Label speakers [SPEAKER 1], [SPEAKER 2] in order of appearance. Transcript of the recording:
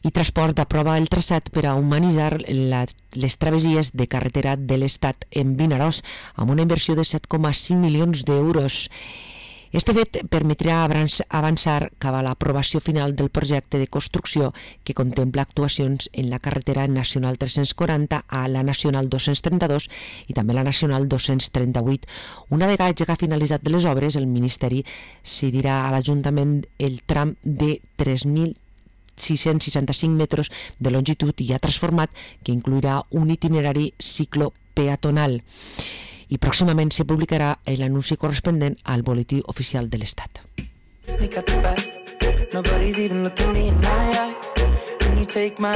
[SPEAKER 1] I Transport aprova el traçat per a humanitzar les travessies de carretera de l'Estat en Vinaròs amb una inversió de 7,5 milions d'euros. Este fet permetrà avançar cap a l'aprovació final del projecte de construcció que contempla actuacions en la carretera nacional 340 a la nacional 232 i també la nacional 238. Una vegada finalitzat les obres, el Ministeri cedirà a l'Ajuntament el tram de 3.665 metres de longitud ja transformat, que incluirà un itinerari ciclopeatonal. I pròximament se publicarà l'anunci corresponent al Boletí Oficial de l'Estat. Sneak out the back, nobody's even looking me in my eyes. Can you take my